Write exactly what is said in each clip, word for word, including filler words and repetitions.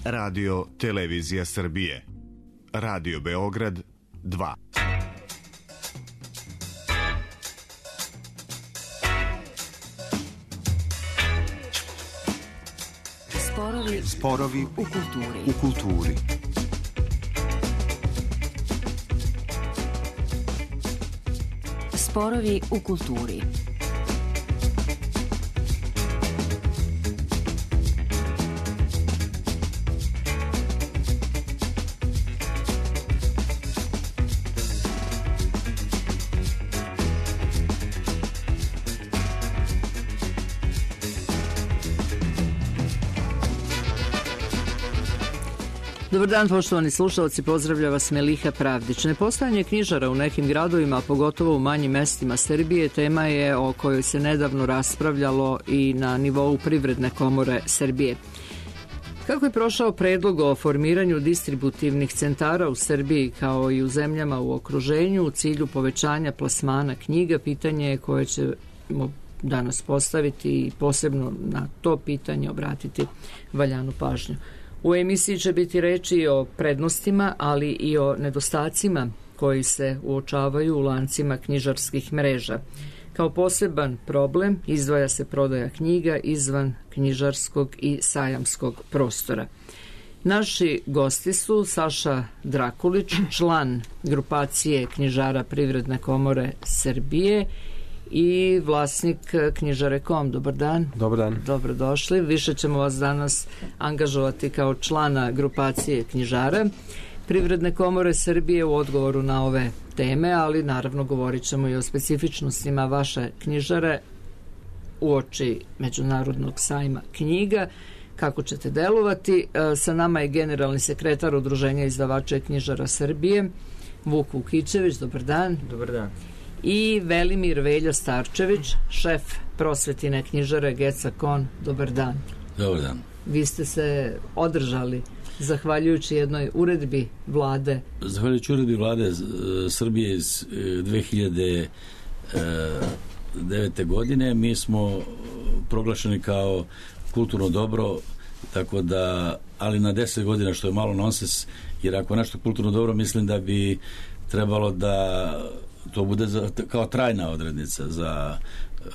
Radio Televizija Srbije. Radio Beograd dva. Sporovi, Sporovi u kulturi. U kulturi. Sporovi u kulturi. Dobar dan, poštovani slušalci, pozdravlja vas Meliha Pravdić. Nepostojanje knjižara u nekim gradovima, pogotovo u manjim mestima Srbije, tema je o kojoj se nedavno raspravljalo i na nivou Privredne komore Srbije. Kako je prošao predlog o formiranju distributivnih centara u Srbiji kao i u zemljama u okruženju u cilju povećanja plasmana knjiga, pitanje je koje ćemo danas postaviti i posebno na to pitanje obratiti valjanu pažnju. U emisiji će biti reči o prednostima, ali i o nedostacima koji se uočavaju u lancima knjižarskih mreža. Kao poseban problem izdvaja se prodaja knjiga izvan knjižarskog i sajamskog prostora. Naši gosti su Saša Drakulić, član grupacije knjižara Privredne komore Srbije i vlasnik knjižare kom. Dobar dan. Dobar dan. Dobrodošli. Više ćemo vas danas angažovati kao člana grupacije knjižara Privredne komore Srbije u odgovoru na ove teme, ali naravno govorit ćemo i o specifičnostima vaše knjižare uoči Međunarodnog sajma knjiga. Kako ćete delovati? Sa nama je generalni sekretar Udruženja izdavača i knjižara Srbije, Vuk Vukićević. Dobar dan. Dobar dan. I Velimir Velja Starčević, šef prosvetine knjižare Geca Kon. Dobar dan. Dobar dan. Vi ste se održali zahvaljujući jednoj uredbi vlade. Zahvaljujući uredbi vlade Srbije iz dve hiljade devete. godine mi smo proglašeni kao kulturno dobro, tako da, ali na deset godina, što je malo nonsens, jer ako nešto kulturno dobro, mislim da bi trebalo da to bude za, kao trajna odrednica za e,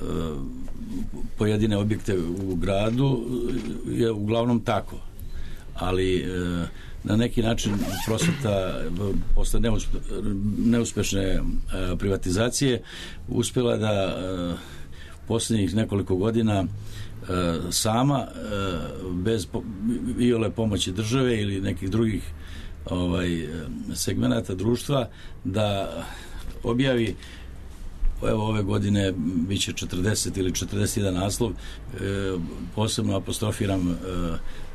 pojedine objekte u gradu, je uglavnom tako. Ali e, na neki način prosveta posle neuspe, neuspešne e, privatizacije uspjela da e, posljednjih nekoliko godina e, sama, e, bez po, iole pomoći države ili nekih drugih ovaj, segmenata društva, da objavi, evo ove godine bit će četrdeset ili četrdeset jedan naslov, e, posebno apostrofiram e,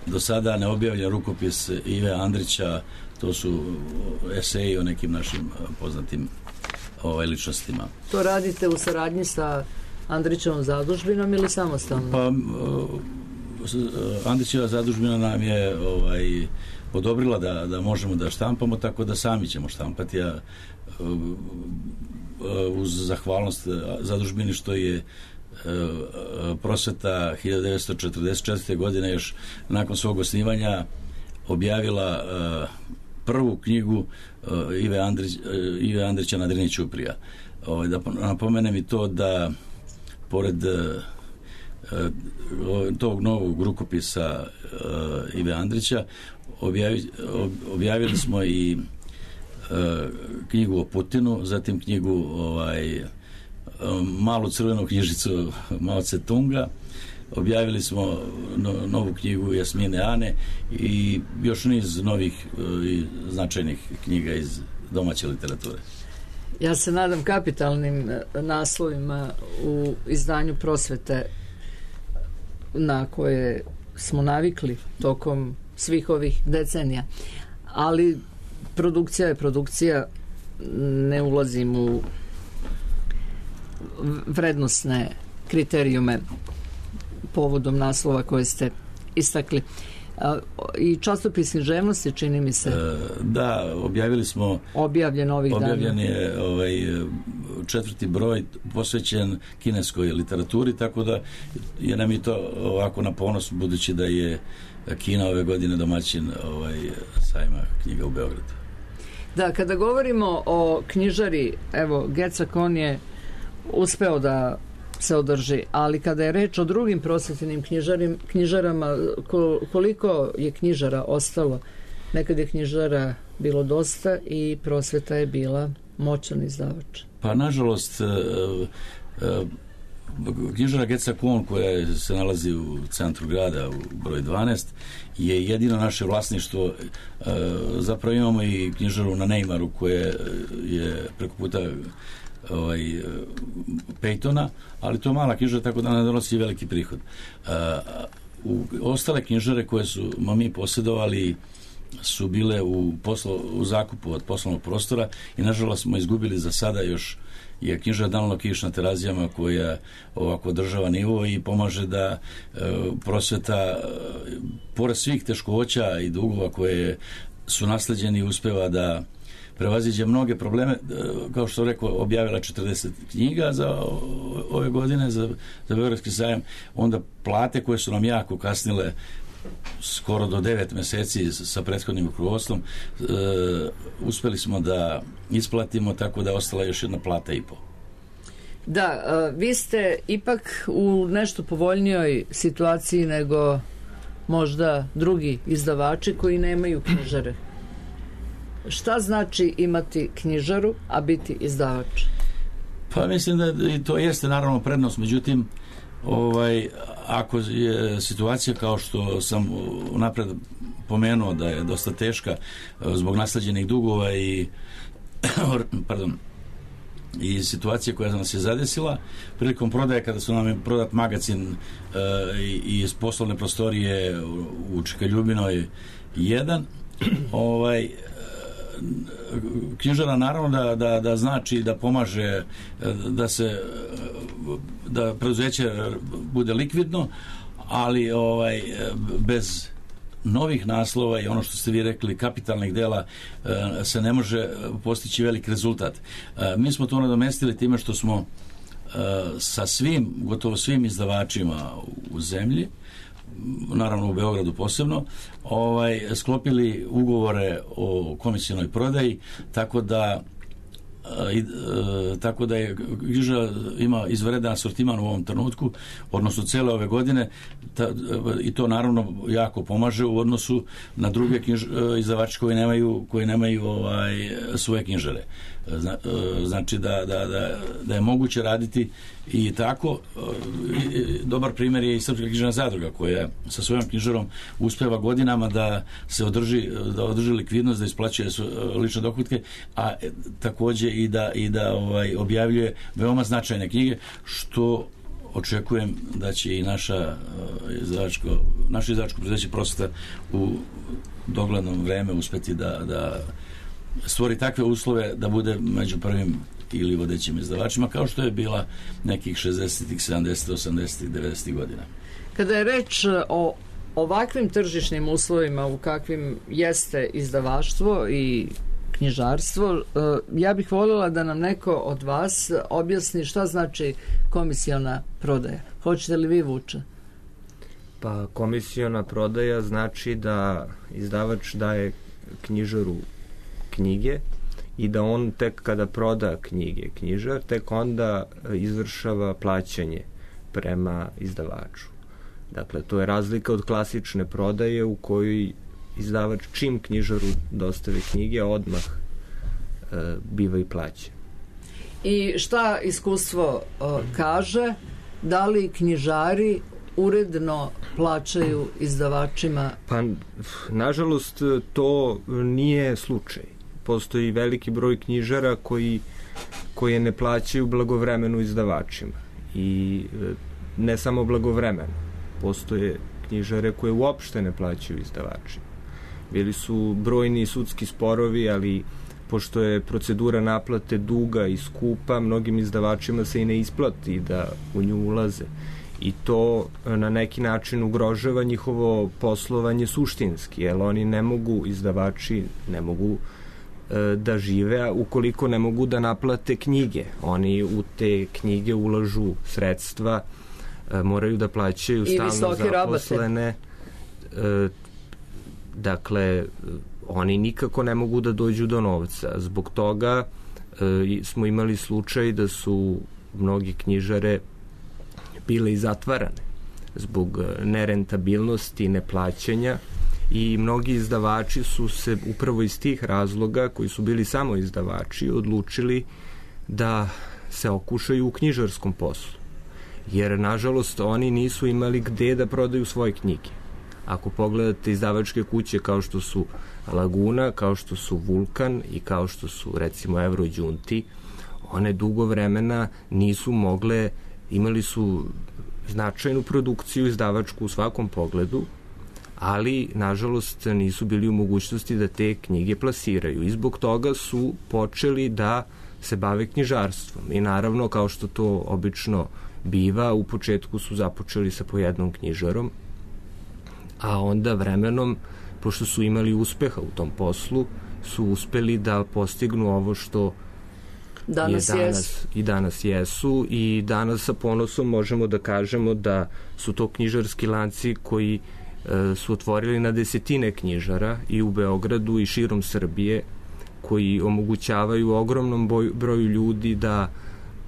do sada neobjavljen rukopis Ive Andrića, to su eseji o nekim našim poznatim ovaj, ličnostima. To radite u saradnji sa Andrićevom zadužbinom ili samostalno? Pa Andrićeva zadužbina nam je ovaj, odobrila da, da možemo da štampamo, tako da sami ćemo štampati, a uz zahvalnost zadužbini što je prosveta hiljadu devetsto četrdeset četvrte. godine još nakon svog osnivanja objavila prvu knjigu Ive, Andrić, Ive Andrića na Drini ćuprija. Da napomenem i to da pored tog novog rukopisa Ive Andrića objavi, objavili smo i knjigu o Putinu, zatim knjigu ovaj, malu crvenu knjižicu Mao Tse-tunga, objavili smo no, novu knjigu Jasmine Ane i još niz novih i značajnih knjiga iz domaće literature. Ja se nadam kapitalnim naslovima u izdanju prosvete na koje smo navikli tokom svih ovih decenija, ali produkcija je produkcija, ne ulazim u vrednosne kriterijume povodom naslova koje ste istakli. A, i časopis književnosti, čini mi se. E, da, objavili smo objavljen ovih dana. Objavljen je ovaj, četvrti broj posvećen kineskoj literaturi, tako da je nam i to ovako na ponos, budući da je Kina ove godine domaćin ovaj, sajma knjiga u Beogradu. Da, kada govorimo o knjižari, evo, Gecakon je uspeo da se održi, ali kada je reč o drugim prosvetnim knjižarim, knjižarama, koliko je knjižara ostalo? Nekad je knjižara bilo dosta i prosveta je bila moćan izdavač. Pa, nažalost, knjižara Gecakon, koja se nalazi u centru grada, u broj dvanaest, je jedino naše vlasništvo. Zapravo imamo i knjižaru na Neymaru, koja je preko puta ovaj, Pejtona, ali to je mala knjižara, tako da ne donosi veliki prihod. U ostale knjižare koje su mi posjedovali su bile u, poslo, u zakupu od poslovnog prostora i nažalost smo izgubili za sada. Još je knjižara Danilo Kiš na Terazijama, koja ovako održava nivo i pomaže da e, prosveta, e, pored svih teškoća i dugova koje su nasleđeni, uspeva da prevaziđe mnoge probleme. Kao što rekao, objavila četrdeset knjiga za ove godine za, za Beogradski sajam, onda plate koje su nam jako kasnile skoro do devet meseci sa prethodnim rukovodstvom, e, uspeli smo da isplatimo, tako da je ostala još jedna plata i po. Da, vi ste ipak u nešto povoljnijoj situaciji nego možda drugi izdavači koji nemaju knjižare. Šta znači imati knjižaru, a biti izdavač? Pa mislim da i to jeste naravno prednost, međutim, ovaj, ako je situacija kao što sam napred pomenuo da je dosta teška zbog nasleđenih dugova i pardon, i situacije koja nas je zadesila prilikom prodaje, kada su nam je prodat magazin e, i iz poslovne prostorije u Čikaljubinoj jedan, ovaj, knjižara naravno da, da, da znači da pomaže da se da preduzeće bude likvidno, ali ovaj bez novih naslova i ono što ste vi rekli, kapitalnih dela, se ne može postići velik rezultat. Mi smo to nadomestili time što smo sa svim, gotovo svim izdavačima u zemlji, naravno u Beogradu posebno, ovaj, sklopili ugovore o komisijonoj prodaji, tako da I, e, tako da je knjižara ima izvanredan asortiman u ovom trenutku, odnosno cele ove godine, ta, i to naravno jako pomaže u odnosu na druge knjiž, izdavače koji nemaju, koji nemaju ovaj, svoje knjižare. Zna, znači da, da, da, da je moguće raditi i tako. I, dobar primjer je i Srpska književna zadruga, koja sa svojom knjižarom uspeva godinama da se održi, da održi likvidnost, da isplaćuje lične dohotke, a takođe i da, i da ovaj, objavljuje veoma značajne knjige, što očekujem da će i naša izdavačko, naše izdavačko preduzeće Prosveta u dogledno vreme uspeti da, da stvori takve uslove da bude među prvim ili vodećim izdavačima, kao što je bila nekih šezdesetih, sedamdesetih, osamdesetih, devedesetih godina. Kada je reč o ovakvim tržišnim uslovima u kakvim jeste izdavaštvo i knjižarstvo, ja bih voljela da nam neko od vas objasni šta znači komisiona prodaja. Hoćete li vi, Vuče? Pa komisiona prodaja znači da izdavač daje knjižaru knjige i da on tek kada proda knjige knjižar, tek onda izvršava plaćanje prema izdavaču. Dakle, to je razlika od klasične prodaje u kojoj izdavač čim knjižaru dostave knjige odmah e, biva i plaća. I šta iskustvo e, kaže? Da li knjižari uredno plaćaju izdavačima? Pa, nažalost, to nije slučaj. Postoji veliki broj knjižara koji, koje ne plaćaju blagovremeno izdavačima. I ne samo blagovremeno. Postoje knjižare koje uopšte ne plaćaju izdavačima. Bili su brojni sudski sporovi, ali pošto je procedura naplate duga i skupa, mnogim izdavačima se i ne isplati da u nju ulaze. i to na neki način ugrožava njihovo poslovanje suštinski, jer oni ne mogu, izdavači ne mogu e, da žive ukoliko ne mogu da naplate knjige. Oni u te knjige ulažu sredstva, e, moraju da plaćaju stalno zaposlene. E, dakle, oni nikako ne mogu da dođu do novca. Zbog toga e, smo imali slučaj da su mnogi knjižare bile i zatvarane zbog nerentabilnosti, neplaćanja, i mnogi izdavači su se upravo iz tih razloga, koji su bili samo izdavači, odlučili da se okušaju u knjižarskom poslu. Jer, nažalost, oni nisu imali gde da prodaju svoje knjige. Ako pogledate izdavačke kuće kao što su Laguna, kao što su Vulkan i kao što su, recimo, Eurođunti, one dugo vremena nisu mogle, imali su značajnu produkciju izdavačku u svakom pogledu, ali, nažalost, nisu bili u mogućnosti da te knjige plasiraju. I zbog toga su počeli da se bave knjižarstvom. I naravno, kao što to obično biva, u početku su započeli sa po jednom knjižarom, a onda vremenom, pošto su imali uspeha u tom poslu, su uspeli da postignu ovo što danas, je danas jesu. i danas jesu, i danas sa ponosom možemo da kažemo da su to knjižarski lanci koji e, su otvorili na desetine knjižara i u Beogradu i širom Srbije, koji omogućavaju ogromnom boj, broju ljudi da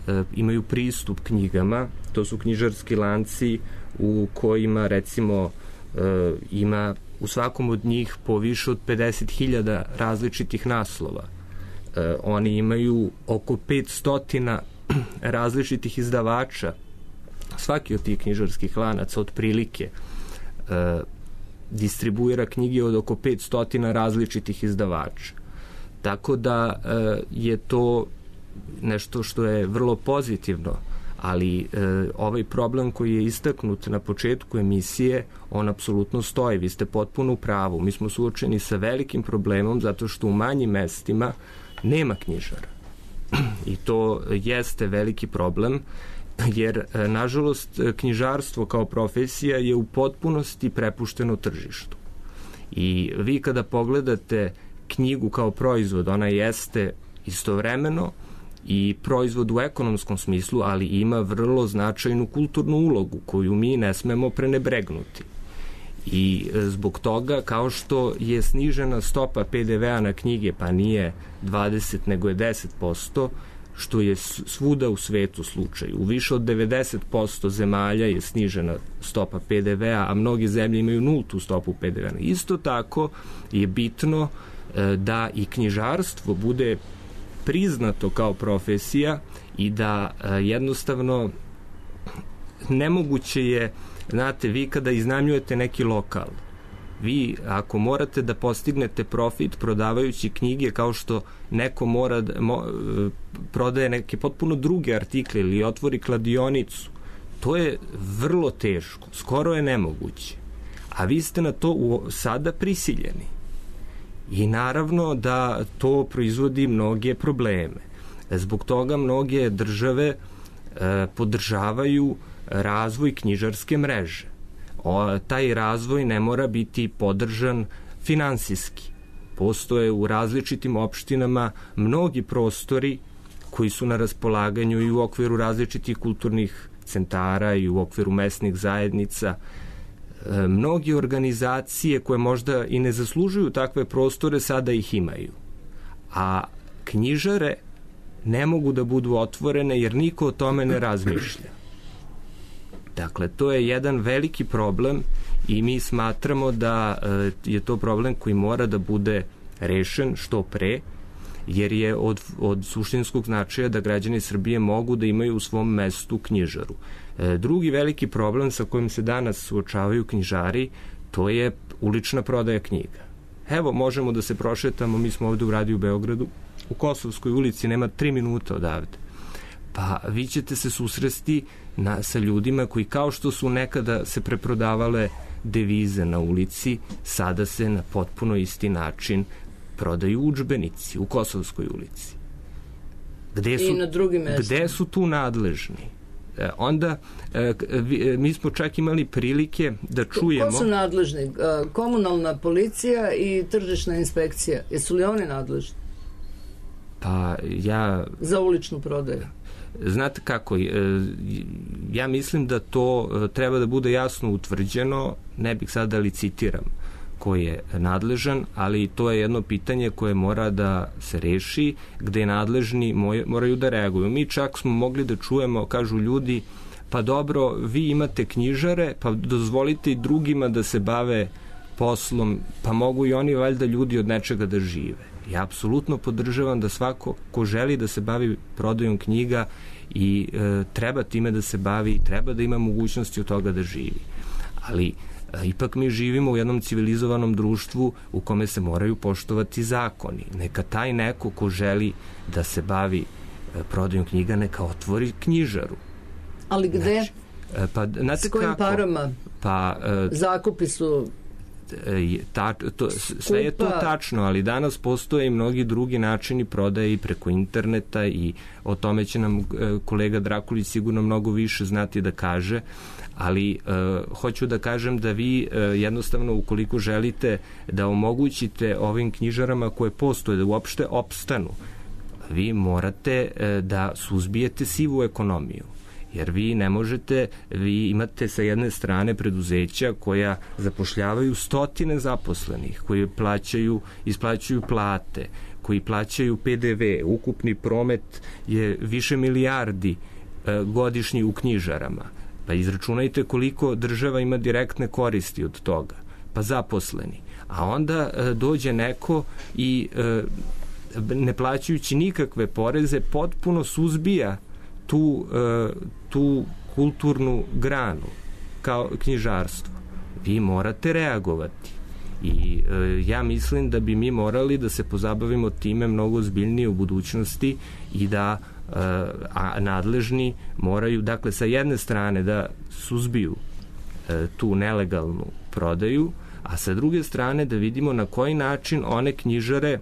e, imaju pristup knjigama. To su knjižarski lanci u kojima, recimo, e, ima u svakom od njih po više od pedeset hiljada različitih naslova. E, oni imaju oko petsto različitih izdavača. Svaki od tih knjižarskih lanaca otprilike e, distribuira knjige od oko petsto različitih izdavača. Tako da e, je to nešto što je vrlo pozitivno, ali e, ovaj problem koji je istaknut na početku emisije, on apsolutno stoji. Vi ste potpuno u pravu. Mi smo suočeni sa velikim problemom zato što u manjim mestima nema knjižara. I to jeste veliki problem, jer, e, nažalost, knjižarstvo kao profesija je u potpunosti prepušteno tržištu. I vi kada pogledate knjigu kao proizvod, ona jeste istovremeno i proizvod u ekonomskom smislu, ali ima vrlo značajnu kulturnu ulogu koju mi ne smemo prenebregnuti. I zbog toga, kao što je snižena stopa pe de ve a na knjige, pa nije dvadeset nego je deset posto, što je svuda u svetu slučaj. U više od devedeset posto zemalja je snižena stopa pe de ve a, a mnoge zemlje imaju nultu stopu pe de ve a. Isto tako je bitno da i knjižarstvo bude priznato kao profesija i da jednostavno nemoguće je, znate, vi kada iznajmljujete neki lokal, vi ako morate da postignete profit prodavajući knjige kao što neko mora da mo, prodaje neke potpuno druge artikle ili otvori kladionicu, to je vrlo teško, skoro je nemoguće. A vi ste na to u, sada prisiljeni. I naravno da to proizvodi mnoge probleme. Zbog toga mnoge države e, podržavaju razvoj knjižarske mreže. O, taj razvoj ne mora biti podržan finansijski. Postoje u različitim opštinama mnogi prostori koji su na raspolaganju i u okviru različitih kulturnih centara i u okviru mesnih zajednica. E, mnogi organizacije koje možda i ne zaslužuju takve prostore sada ih imaju. A knjižare ne mogu da budu otvorene jer niko o tome ne razmišlja. Dakle, to je jedan veliki problem i mi smatramo da e, je to problem koji mora da bude rešen što pre, jer je od, od suštinskog značaja da građani Srbije mogu da imaju u svom mestu knjižaru. E, drugi veliki problem sa kojim se danas suočavaju knjižari, to je ulična prodaja knjiga. Evo, možemo da se prošetamo, mi smo ovde u radiju Beogradu, u Kosovskoj ulici, nema tri minuta odavde. Pa vi ćete se susresti na, sa ljudima koji, kao što su nekada se preprodavale devize na ulici, sada se na potpuno isti način prodaju udžbenici u Kosovskoj ulici. Gde su, I na drugim mestima. Gde su tu nadležni? onda mi smo čak imali prilike da čujemo... Ko su nadležni? Komunalna policija i tržišna inspekcija. Jesu li oni nadležni? Pa ja... Za uličnu prodaju. Znate kako, ja mislim da to treba da bude jasno utvrđeno, ne bih sada licitiram ko je nadležan, ali to je jedno pitanje koje mora da se reši, gde nadležni moraju da reaguju. Mi čak smo mogli da čujemo, kažu ljudi, pa dobro, vi imate knjižare, pa dozvolite i drugima da se bave poslom, pa mogu i oni valjda ljudi od nečega da žive. Ja apsolutno podržavam da svako ko želi da se bavi prodajom knjiga i e, treba time da se bavi, treba da ima mogućnosti od toga da živi. Ali e, ipak mi živimo u jednom civilizovanom društvu u kome se moraju poštovati zakoni. Neka taj neko ko želi da se bavi e, prodajom knjiga, neka otvori knjižaru. Ali gde? Znači, e, pa, znate s kojim kako? parama? Pa, e, zakupi su... Ta, to, sve je to tačno, ali danas postoje i mnogi drugi načini prodaje i preko interneta i o tome će nam kolega Drakulić sigurno mnogo više znati da kaže, ali uh, hoću da kažem da vi uh, jednostavno ukoliko želite da omogućite ovim knjižarama koje postoje da uopšte opstanu, vi morate uh, da suzbijete sivu ekonomiju. Jer vi ne možete, vi imate sa jedne strane preduzeća koja zapošljavaju stotine zaposlenih, koji plaćaju, isplaćuju plate, koji plaćaju P D V, ukupni promet je više milijardi e, godišnji u knjižarama. Pa izračunajte koliko država ima direktne koristi od toga. Pa zaposleni. A onda e, dođe neko i e, ne plaćajući nikakve poreze potpuno suzbija tu, tu kulturnu granu kao knjižarstvo. Vi morate reagovati. I ja mislim da bi mi morali da se pozabavimo time mnogo ozbiljnije u budućnosti i da a nadležni moraju, dakle, sa jedne strane da suzbiju tu nelegalnu prodaju, a sa druge strane da vidimo na koji način one knjižare,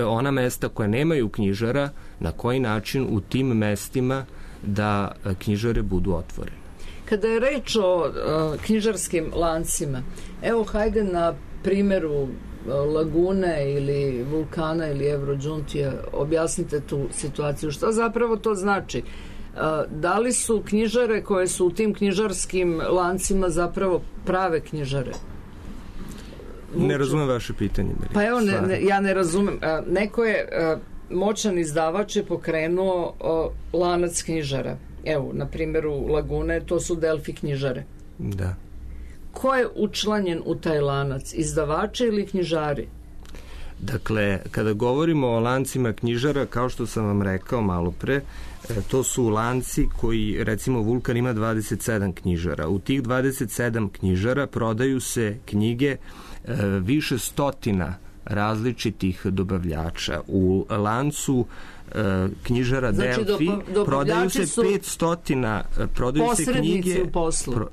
ona mesta koja nemaju knjižara, na koji način u tim mestima da knjižare budu otvorene. Kada je reč o uh, knjižarskim lancima, evo hajde na primjeru uh, Lagune ili Vulkana ili Evrodžuntija objasnite tu situaciju. Šta zapravo to znači? Uh, da li su knjižare koje su u tim knjižarskim lancima zapravo prave knjižare? Ne razumem vaše pitanje. Pa evo, ne, ne, ja ne razumem. Uh, neko je... Uh, moćan izdavač je pokrenuo o, lanac knjižara. Evo, na primjeru Lagune, to su Delfi knjižare. Da. Ko je učlanjen u taj lanac? Izdavači ili knjižari? Dakle, kada govorimo o lancima knjižara, kao što sam vam rekao malo pre, to su lanci koji, recimo, Vulkan ima dvadeset sedam knjižara. U tih dvadeset sedam knjižara prodaju se knjige e, više stotina različitih dobavljača. U lancu e, knjižara znači, Delfi do, prodaju se petsto, prodaju se knjige, u poslu. Pro,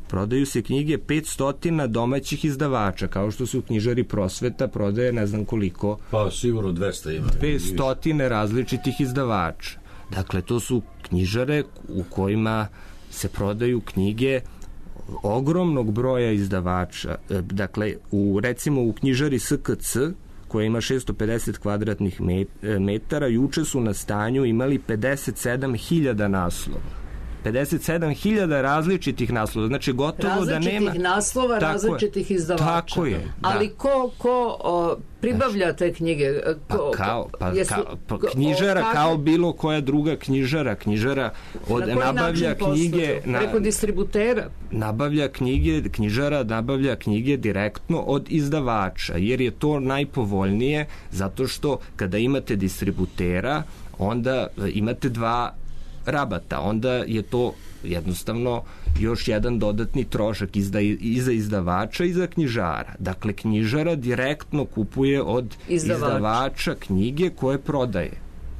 prodaju se knjige petsto domaćih izdavača, kao što su knjižari Prosveta prodaje ne znam koliko. Pa sigurno dvesta ima. dvesta različitih izdavača. Dakle, to su knjižare u kojima se prodaju knjige ogromnog broja izdavača. Dakle, u, recimo u knjižari S K C, koja ima šesto pedeset kvadratnih metara, juče su na stanju imali pedeset sedam hiljada naslova. pedeset sedam hiljada različitih naslova. Znači, gotovo različitih da nema... Različitih naslova, tako različitih je, izdavača. Tako je, da. Ali ko, ko o, pribavlja te knjige? Ko, pa kao, pa, jesu, kao, pa knjižara o, kao bilo koja druga knjižara. Knjižara od, na nabavlja knjige... Na, preko distributera? Nabavlja knjige, knjižara nabavlja knjige direktno od izdavača, jer je to najpovoljnije, zato što kada imate distributera, onda imate dva rabata, onda je to jednostavno još jedan dodatni trošak i za, i za izdavača i za knjižara. Dakle, knjižara direktno kupuje od Izdavač. izdavača knjige koje prodaje.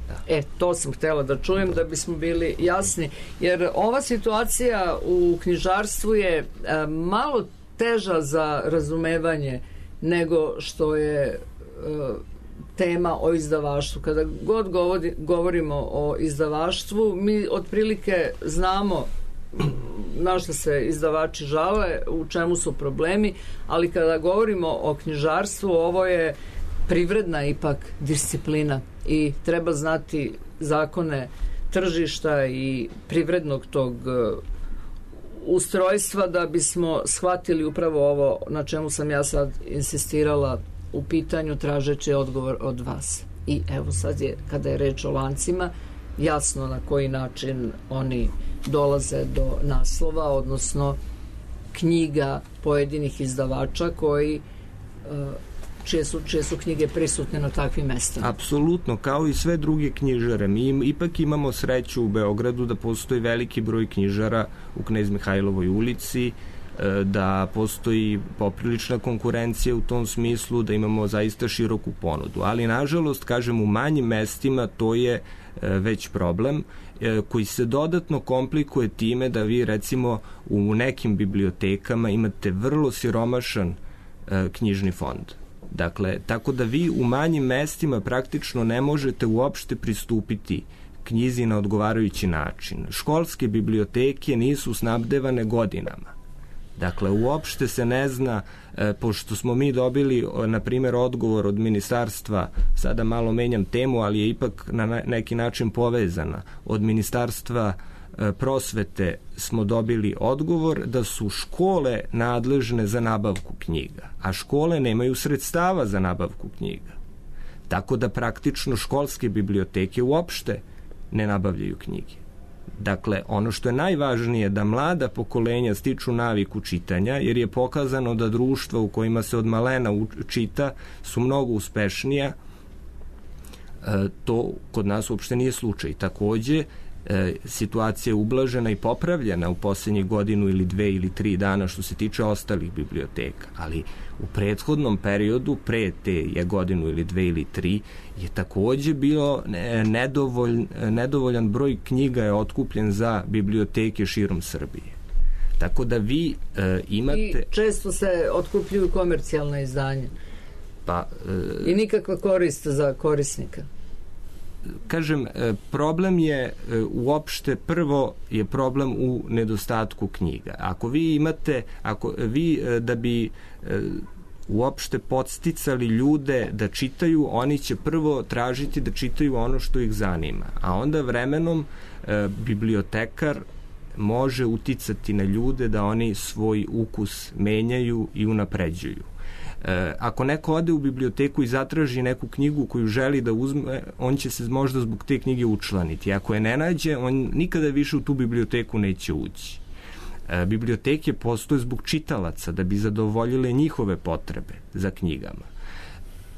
Da. E, to sam htjela da čujem da bismo bili jasni, jer ova situacija u knjižarstvu je e, malo teža za razumevanje nego što je e, tema o izdavaštvu. Kada god govori, govorimo o izdavaštvu, mi otprilike znamo na što se izdavači žale, u čemu su problemi, ali kada govorimo o knjižarstvu, ovo je privredna ipak disciplina i treba znati zakone tržišta i privrednog tog ustrojstva da bismo shvatili upravo ovo na čemu sam ja sad insistirala u pitanju tražeći odgovor od vas. I evo sad je, kada je reč o lancima, jasno na koji način oni dolaze do naslova, odnosno knjiga pojedinih izdavača koji čije su, čije su knjige prisutne na takvim mestima. Apsolutno, kao i sve druge knjižare. Mi ipak imamo sreću u Beogradu da postoji veliki broj knjižara u Knez Mihajlovoj ulici, da postoji poprilična konkurencija u tom smislu, da imamo zaista široku ponudu. Ali, nažalost, kažem, u manjim mestima to je već problem koji se dodatno komplikuje time da vi, recimo, u nekim bibliotekama imate vrlo siromašan knjižni fond. Dakle, tako da vi u manjim mestima praktično ne možete uopšte pristupiti knjizi na odgovarajući način. Školske biblioteke nisu snabdevane godinama. Dakle, uopšte se ne zna, e, pošto smo mi dobili, na primjer, odgovor od ministarstva, sada malo menjam temu, ali je ipak na neki način povezana, od ministarstva e, prosvete smo dobili odgovor da su škole nadležne za nabavku knjiga, a škole nemaju sredstava za nabavku knjiga. Tako da praktično školske biblioteke uopšte ne nabavljaju knjige. Dakle, ono što je najvažnije da mlada pokolenja stiču naviku čitanja, jer je pokazano da društva u kojima se od malena čita su mnogo uspešnija. E, to kod nas uopšte nije slučaj. Takođe, e, situacija je ublažena i popravljena u posljednjih godinu ili dve ili tri dana što se tiče ostalih biblioteka, ali u prethodnom periodu, pre te je godinu ili dve ili tri, je takođe bilo nedovolj, nedovoljan broj knjiga je otkupljen za biblioteke širom Srbije. Tako da vi e, imate... I često se otkupljuju komercijalna izdanja. Pa, e, I nikakva korist za korisnika. Kažem, problem je uopšte, prvo je problem u nedostatku knjiga. Ako vi imate, ako vi da bi uopšte podsticali ljude da čitaju, oni će prvo tražiti da čitaju ono što ih zanima, a onda vremenom bibliotekar može uticati na ljude da oni svoj ukus menjaju i unapređuju. Ako neko ode u biblioteku i zatraži neku knjigu koju želi da uzme, on će se možda zbog te knjige učlaniti. Ako je ne nađe, on nikada više u tu biblioteku neće ući. Biblioteke postoje zbog čitalaca, da bi zadovoljile njihove potrebe za knjigama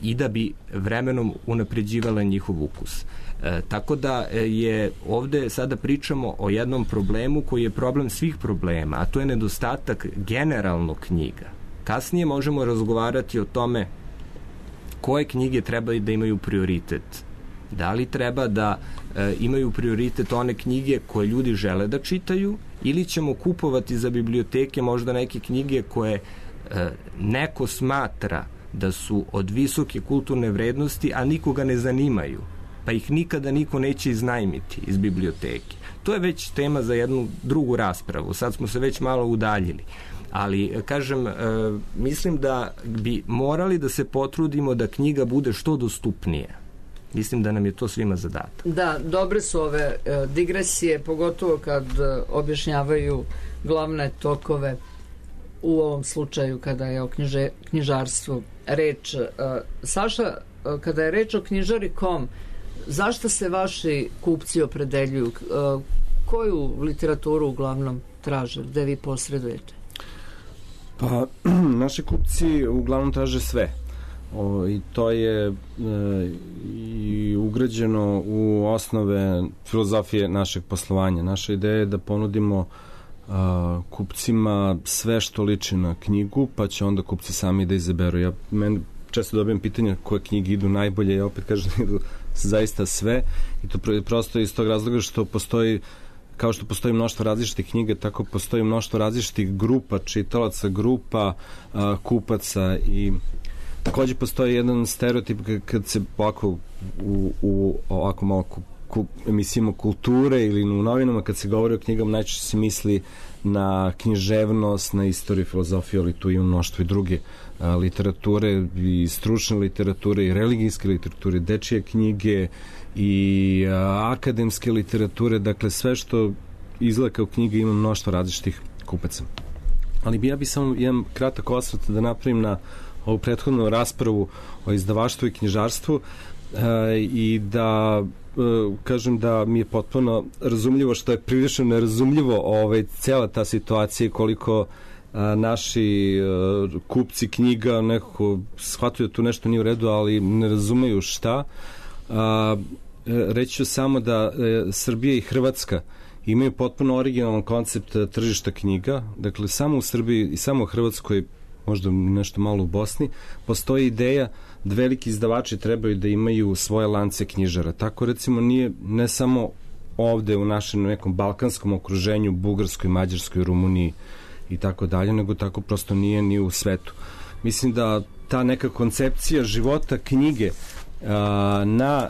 i da bi vremenom unapređivala njihov ukus. E, tako da je ovde sada pričamo o jednom problemu koji je problem svih problema, a to je nedostatak generalno knjiga. Kasnije možemo razgovarati o tome koje knjige treba da imaju prioritet. Da li treba da e, imaju prioritet one knjige koje ljudi žele da čitaju, ili ćemo kupovati za biblioteke možda neke knjige koje e, neko smatra da su od visoke kulturne vrednosti, a nikoga ne zanimaju, pa ih nikada niko neće iznajmiti iz biblioteke. To je već tema za jednu drugu raspravu. Sad smo se već malo udaljili. Ali, kažem, e, mislim da bi morali da se potrudimo da knjiga bude što dostupnija. Mislim da nam je to svima zadatak. Da, dobre su ove e, digresije, pogotovo kad e, objašnjavaju glavne tokove u ovom slučaju kada je o knjiže, knjižarstvu reč. E, Saša, e, kada je reč o knjižari kome kom, zašto se vaši kupci opredeljuju? E, koju literaturu uglavnom traže? Gde vi posredujete? Pa, naši kupci uglavnom traže sve. O, I to je e, i ugrađeno u osnove filozofije našeg poslovanja. Naša ideja je da ponudimo a, kupcima sve što liči na knjigu, pa će onda kupci sami da izaberu. Ja meni često dobijem pitanja koje knjige idu najbolje, ja opet kažem da idu zaista sve, i to prosto iz tog razloga što postoji, kao što postoji mnoštvo različitih knjiga, tako postoji mnoštvo različitih grupa čitalaca, grupa a, kupaca, i takođe postoji jedan stereotip kad se ovako u, u ovako malo ku, ku, emisijama kulture ili u novinama kad se govori o knjigama najčešće se misli na književnost, na istoriju, filozofiju, ali tu ima mnoštvo i druge a, literature i stručne literature i religijske literature, dečije knjige i a, akademske literature, dakle sve što izgleda kao knjiga ima mnoštvo različitih kupaca. Ali bi ja bi samo jedan kratak osvrt da napravim na ovu prethodnu raspravu o izdavaštvu i knjižarstvu e, i da e, kažem da mi je potpuno razumljivo što je prilično nerazumljivo ovaj, cela ta situacija koliko a, naši a, kupci knjiga nekako shvataju da tu nešto nije u redu, ali ne razumeju šta. A, reći ću samo da e, Srbija i Hrvatska imaju potpuno originalan koncept tržišta knjiga, dakle samo u Srbiji i samo u Hrvatskoj, možda nešto malo u Bosni, postoji ideja da veliki izdavači trebaju da imaju svoje lance knjižara. Tako recimo nije ne samo ovde u našem nekom balkanskom okruženju, Bugarskoj, Mađarskoj, Rumuniji i tako dalje, nego tako prosto nije ni u svetu. Mislim da ta neka koncepcija života knjige na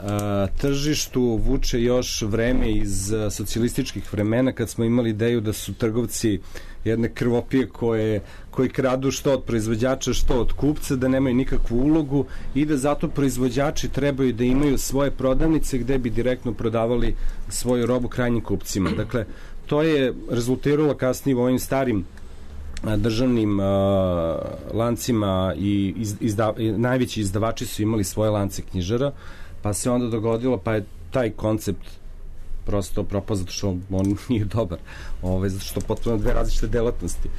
tržištu vuče još vreme iz socijalističkih vremena kad smo imali ideju da su trgovci jedne krvopije koje, koji kradu što od proizvođača, što od kupca, da nemaju nikakvu ulogu i da zato proizvođači trebaju da imaju svoje prodavnice gde bi direktno prodavali svoju robu krajnjim kupcima. Dakle, to je rezultiralo kasnije u ovim starim državnim uh, lancima i iz, izda, najveći izdavači su imali svoje lance knjižara, pa se onda dogodilo, pa je taj koncept prosto propao zato što on nije dobar, Ove, zato što potpuno dve različite delatnosti.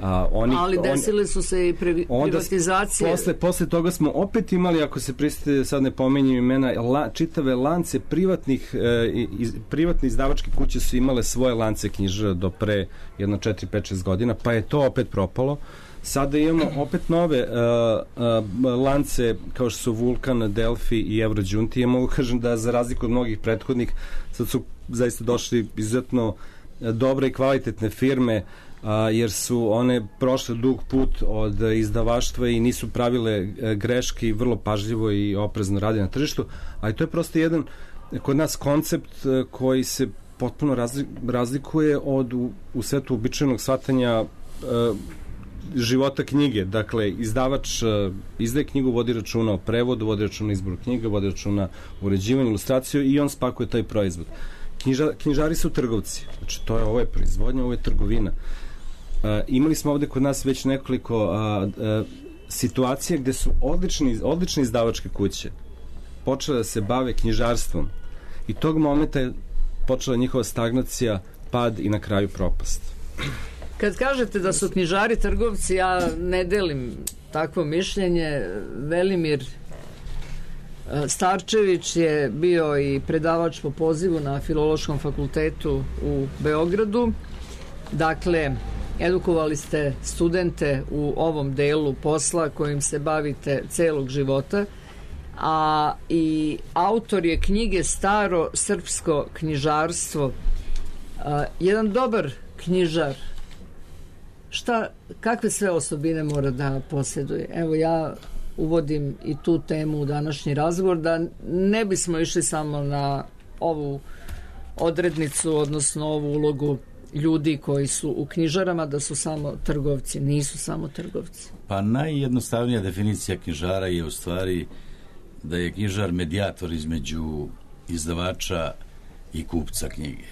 A, oni, ali desile su se i pri, privatizacije. Posle, posle toga smo opet imali, ako se pristite, sad ne pomenjem imena, la, čitave lance privatnih, e, iz, privatne izdavačke kuće su imale svoje lance knjižara do pre jedno četiri, pet, šest godina, pa je to opet propalo. Sada imamo opet nove uh, uh, lance kao što su Vulkan, Delfi i Eurođunti. Ja mogu kažem da za razliku od mnogih prethodnih sad su zaista došli izuzetno dobre i kvalitetne firme a, jer su one prošle dug put od izdavaštva i nisu pravile greške i vrlo pažljivo i oprezno rade na tržištu, ali to je prosto jedan kod nas koncept koji se potpuno razlikuje od u, u svetu običajnog shvatanja a, života knjige. Dakle, izdavač uh, izdaje knjigu, vodi računa o prevodu, vodi računa o izboru knjiga, vodi računa o uređivanju, ilustraciju i on spakuje taj proizvod. Knjiža, knjižari su trgovci. Znači, to je, ovo je proizvodnja, ovo je trgovina. Uh, imali smo ovde kod nas već nekoliko uh, uh, situacija gde su odlični, odlične izdavačke kuće počele da se bave knjižarstvom i tog momenta je počela njihova stagnacija, pad i na kraju propast. Kad kažete da su knjižari trgovci, ja ne delim takvo mišljenje. Velimir Starčević je bio i predavač po pozivu na Filološkom fakultetu u Beogradu. Dakle, edukovali ste studente u ovom delu posla kojim se bavite celog života, a i autor je knjige Staro srpsko knjižarstvo. A, jedan dobar knjižar, šta, kakve sve osobine mora da posjeduje? Evo, ja uvodim i tu temu u današnji razgovor, da ne bismo išli samo na ovu odrednicu, odnosno ovu ulogu ljudi koji su u knjižarama, da su samo trgovci. Nisu samo trgovci. Pa najjednostavnija definicija knjižara je u stvari da je knjižar medijator između izdavača i kupca knjige.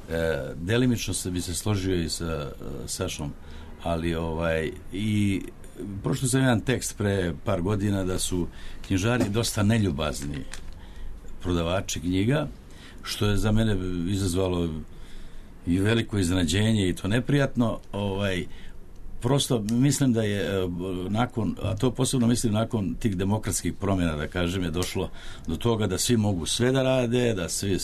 E, delimično se bi se složio i sa Sašom, ali ovaj i prošli sam jedan tekst pre par godina da su knjižari dosta neljubazni prodavači knjiga, što je za mene izazvalo i veliko iznenađenje i to neprijatno. Ovaj, prosto mislim da je nakon, a to posebno mislim nakon tih demokratskih promjena, da kažem, je došlo do toga da svi mogu sve da rade, da svi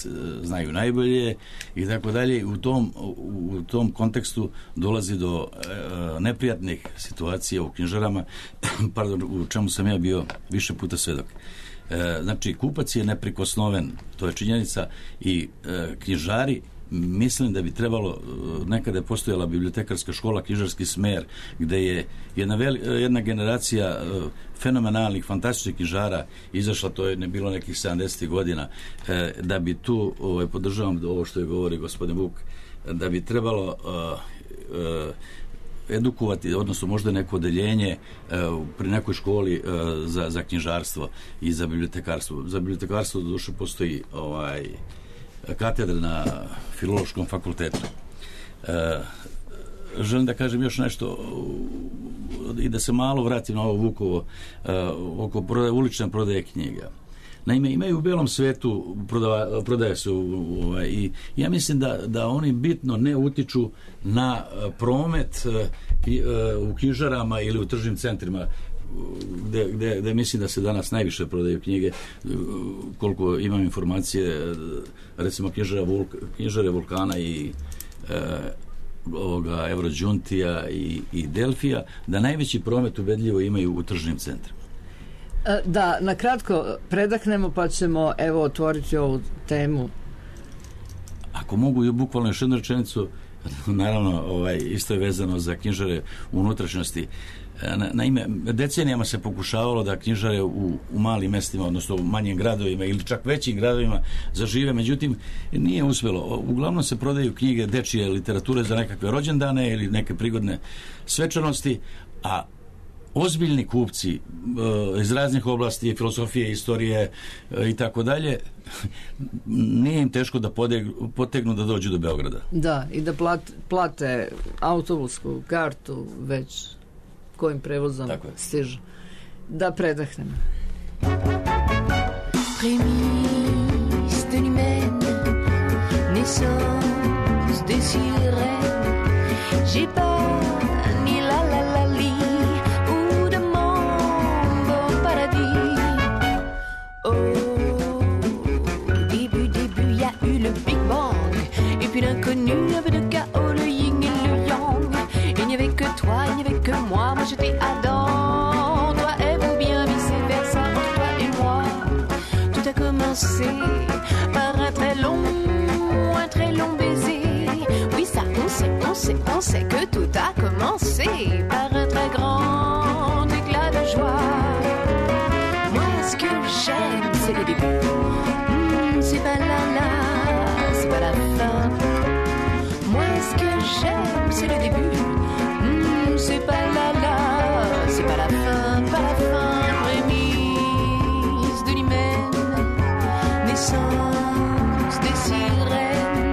znaju najbolje i tako dalje. U tom, u tom kontekstu dolazi do e, neprijatnih situacija u knjižarama, pardon, u čemu sam ja bio više puta svedok. E, znači, kupac je neprikosnoven, to je činjenica, i e, knjižari mislim da bi trebalo, nekada je postojala bibliotekarska škola, knjižarski smer, gde je jedna, veli, jedna generacija fenomenalnih, fantastičnih knjižara izašla, to je ne bilo nekih sedamdesetih godina, da bi tu, ovaj, podržavam ovo što je govori gospodin Vuk, da bi trebalo uh, uh, edukovati, odnosno možda neko odeljenje uh, pri nekoj školi uh, za, za knjižarstvo i za bibliotekarstvo. Za bibliotekarstvo do duše postoji ovaj, katedra na Filološkom fakultetu. Uh, želim da kažem još nešto uh, i da se malo vratim na ovo Vukovo uh, oko prodaje, ulične prodaje knjiga. Naime, imaju u belom svetu, prodava, prodaje se u, ovaj, i ja mislim da, da oni bitno ne utiču na promet u knjižarama ili u tržnim centrima, gde, gde, gde mislim da se danas najviše prodaju knjige, koliko imam informacije, recimo knjižara Vulk, knjižare Vulkana i e, ovoga Evrođuntija i, i Delfija, da najveći promet ubedljivo imaju u tržnim centrima. Da, na kratko predahnemo pa ćemo evo otvoriti ovu temu. Ako mogu i bukvalno još jednu rečenicu, naravno ovaj, isto je vezano za knjižare u unutrašnjosti. Na, naime, decenijama se pokušavalo da knjižare u, u malim mestima, odnosno u manjim gradovima ili čak većim gradovima zažive, međutim nije uspjelo. Uglavnom se prodaju knjige dečije literature za nekakve rođendane ili neke prigodne svečanosti, a ozbiljni kupci uh, iz raznih oblasti, filosofije, istorije uh, i tako dalje, nije im teško da podegnu, potegnu da dođu do Beograda. Da, i da plate, plate autobusku kartu već kojim prevozom stižu. Da predahnemo. Prémices de l'humaine, naissance de sirène, j'ai pas ni la la la li ou de monde au paradis. Au début, début, y a eu le Big Bang, et puis l'inconnu, un peu de chaos, le yin et le yang. Il n'y avait que toi, il n'y avait que moi, moi j'étais Adam, toi et vous bien vice-versa, entre toi et moi. Tout a commencé par un très long, un très long baiser. Oui, ça, on sait, on sait, on sait que tout a commencé par un très grand éclat de joie. Moi, ce que j'aime, c'est le début. Mmh, c'est pas la la, c'est pas la fin. Moi, ce que j'aime, c'est le début. Mmh, c'est pas la la, c'est pas la fin, pas la fin. Prémisse de l'hymen, naissance des sirènes.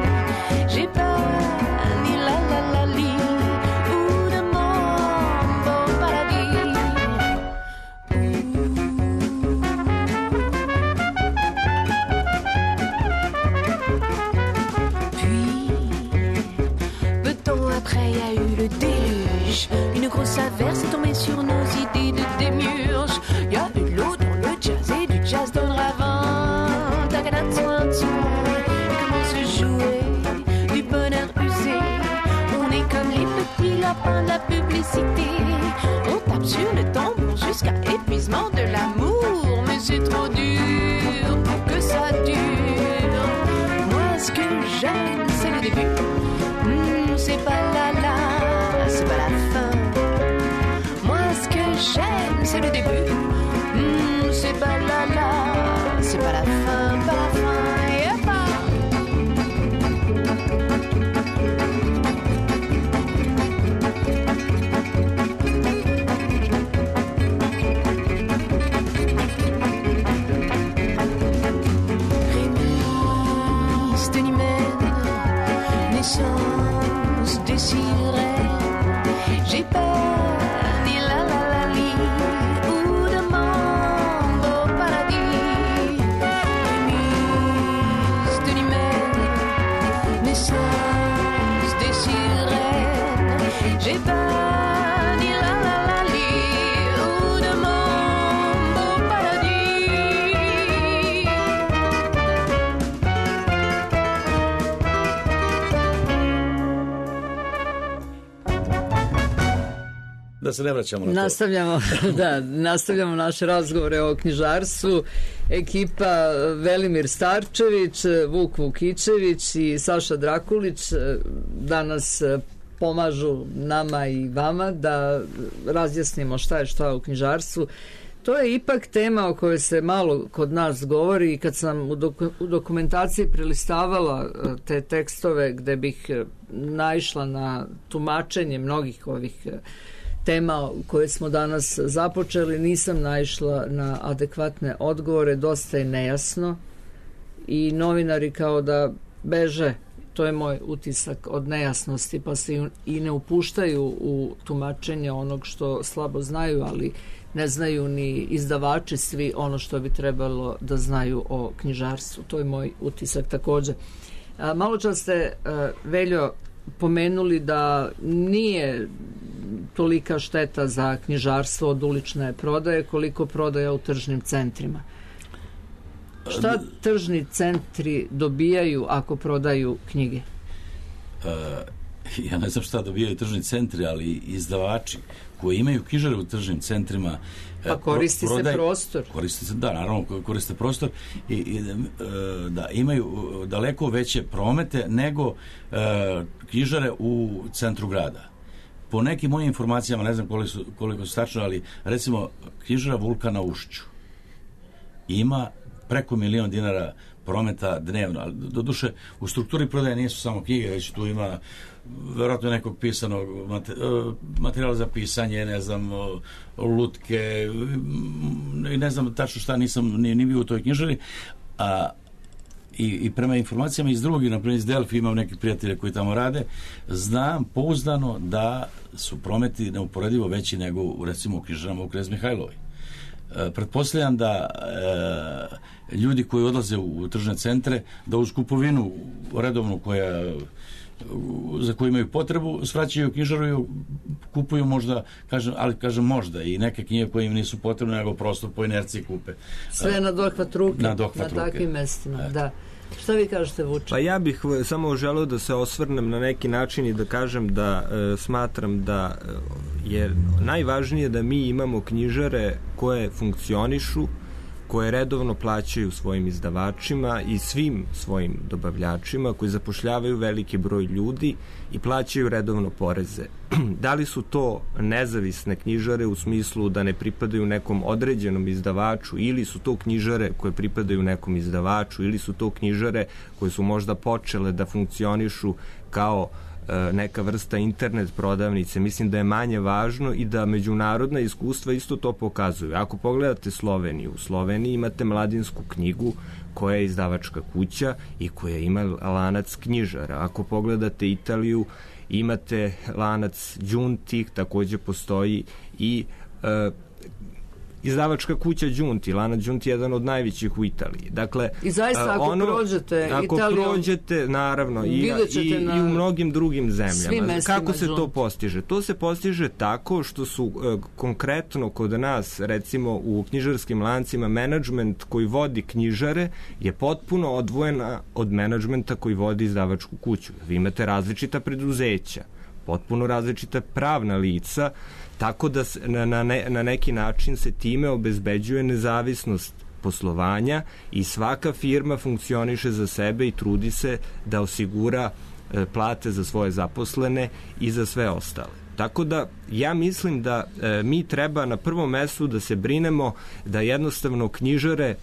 J'ai pas ni la la la li ou de monde au paradis. Puis, peu de temps après, y a eu le déluge. Une grosse averse est tombée sur nos idées de démiurge. Y a eu de l'eau dans le jazz et du jazz dans le ravin. Tagada soin et comment se jouer du bonheur usé. On est comme les petits lapins de la publicité. On tape sur le tambour jusqu'à épuisement de l'amour. Mais c'est trop dur pour que ça dure. Moi, ce que j'aime, c'est le début. Mmh, c'est pas la la, c'est pas la fin. Moi, ce que j'aime, c'est le début. Mmh, c'est pas la la, c'est pas la fin, pas la fin. Yeah, pas. Prémisse de l'hymen, naissance des sirènes. J'ai pas ni la la la li ou de monde au paradis. da se ne vraćamo na nastavljamo, to. Da, nastavljamo naše razgovore o knjižarstvu. Ekipa Velimir Starčević, Vuk Vukičević i Saša Drakulić danas pomažu nama i vama da razjasnimo šta je šta u knjižarstvu. To je ipak tema o kojoj se malo kod nas govori i kad sam u, doku, u dokumentaciji prelistavala te tekstove gde bih naišla na tumačenje mnogih ovih tema koje smo danas započeli, nisam naišla na adekvatne odgovore, dosta je nejasno i novinari kao da beže, to je moj utisak, od nejasnosti, pa se i ne upuštaju u tumačenje onog što slabo znaju, ali ne znaju ni izdavači svi ono što bi trebalo da znaju o knjižarstvu. To je moj utisak takođe. A, malo čas ste, a, Veljo, pomenuli da nije tolika šteta za knjižarstvo od ulične prodaje koliko prodaja u tržnim centrima. Šta tržni centri dobijaju ako prodaju knjige? Uh, ja ne znam šta dobijaju tržni centri, ali izdavači koji imaju knjižare u tržnim centrima pa koristi prodaj, se prostor. Koristi se, da, naravno, koriste prostor i, i da imaju daleko veće promete nego uh, knjižare u centru grada. Po nekim mojim informacijama, ne znam koliko su, koliko su tačno, ali recimo knjižara Vulkan na Ušću ima preko milion dinara prometa dnevno, ali doduše u strukturi prodaje nisu samo knjige, već tu ima verovatno nekog pisanog materijala za pisanje, ne znam, lutke i ne znam tačno šta, nisam ni, ni bio u toj knjižari, a I, i prema informacijama iz drugih, naprimjer iz Delfi, imam neke prijatelje koji tamo rade, znam pouzdano da su prometi neuporedivo veći nego u, recimo u knjižarama u Knez Mihajlovoj. E, pretpostavljam da e, ljudi koji odlaze u, u tržne centre, da uz kupovinu redovnu koja za koju imaju potrebu, svraćaju knjižaru i kupuju možda, kažem, ali kažem možda i neke knjige koje im nisu potrebne, nego prosto po inerciji kupe. Sve na dohvat ruke, na, dohvat na ruke. Takvim mestima, e. Da. Šta vi kažete, Vuče? Pa ja bih samo želeo da se osvrnem na neki način i da kažem da e, smatram da je najvažnije da mi imamo knjižare koje funkcionišu, koje redovno plaćaju svojim izdavačima i svim svojim dobavljačima, koji zapošljavaju veliki broj ljudi i plaćaju redovno poreze. Da li su to nezavisne knjižare u smislu da ne pripadaju nekom određenom izdavaču, ili su to knjižare koje pripadaju nekom izdavaču, ili su to knjižare koje su možda počele da funkcionišu kao neka vrsta internet prodavnice, mislim da je manje važno i da međunarodna iskustva isto to pokazuju. Ako pogledate Sloveniju, u Sloveniji imate Mladinsku knjigu koja je izdavačka kuća i koja ima lanac knjižara. Ako pogledate Italiju, imate lanac Giunti, takođe postoji i e, izdavačka kuća Giunti, lanac Giunti je jedan od najvećih u Italiji. Dakle, i zaista ako ono, prođete ako Italijom, prođete, naravno, i, i, i u mnogim drugim zemljama. Kako se to postiže? To se postiže tako što su e, konkretno kod nas, recimo u knjižarskim lancima, menadžment koji vodi knjižare je potpuno odvojena od menadžmenta koji vodi izdavačku kuću. Vi imate različita preduzeća, potpuno različita pravna lica, tako da na, na, ne, na neki način se time obezbeđuje nezavisnost poslovanja i svaka firma funkcioniše za sebe i trudi se da osigura e, plate za svoje zaposlene i za sve ostale. Tako da ja mislim da e, mi treba na prvom mestu da se brinemo da jednostavno knjižare,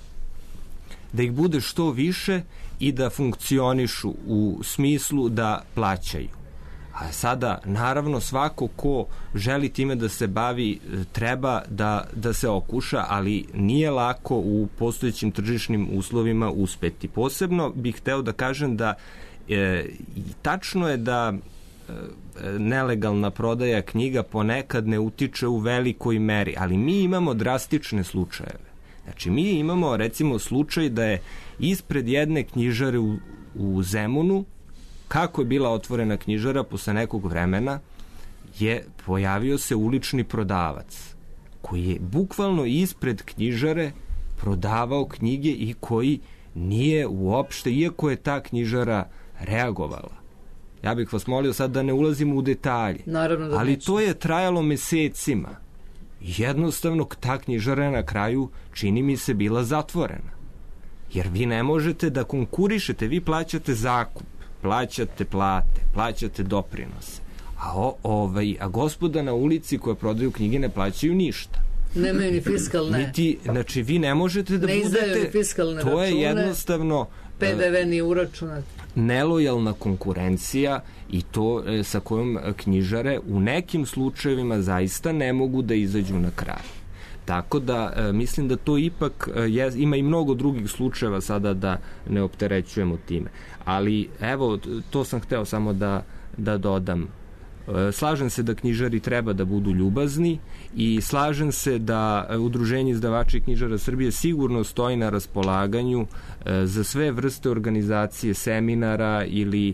da ih bude što više i da funkcionišu u smislu da plaćaju. A sada, naravno, svako ko želi time da se bavi treba da, da se okuša, ali nije lako u postojećim tržišnim uslovima uspeti. Posebno bih hteo da kažem da e, tačno je da e, nelegalna prodaja knjiga ponekad ne utiče u velikoj meri, ali mi imamo drastične slučajeve. Znači, mi imamo, recimo, slučaj da je ispred jedne knjižare u, u Zemunu, kako je bila otvorena knjižara, posle nekog vremena je pojavio se ulični prodavac koji je bukvalno ispred knjižare prodavao knjige i koji nije uopšte, iako je ta knjižara reagovala, Ja bih vas molio sad da ne ulazimo u detalje. Naravno da ali neću. to je trajalo mesecima. Jednostavno, ta knjižara na kraju, čini mi se, bila zatvorena. Jer vi ne možete da konkurišete, vi plaćate zakup, plaćate plate, plaćate doprinose. A, o, ovaj, a gospoda na ulici koja prodaju knjige ne plaćaju ništa. Nemaju ni fiskalne. Niti, znači, vi ne možete da ne budete... Ne izdaju ni fiskalne to račune. Je jednostavno... P D V ni uračunat. Nelojalna konkurencija i to e, sa kojom knjižare u nekim slučajevima zaista ne mogu da izađu na kraj. Tako da e, mislim da to ipak e, je, ima i mnogo drugih slučajeva sada da ne opterećujemo time. Ali evo, to sam hteo samo da, da dodam. Slažem se da knjižari treba da budu ljubazni i slažem se da Udruženje izdavača i knjižara Srbije sigurno stoji na raspolaganju za sve vrste organizacije, seminara ili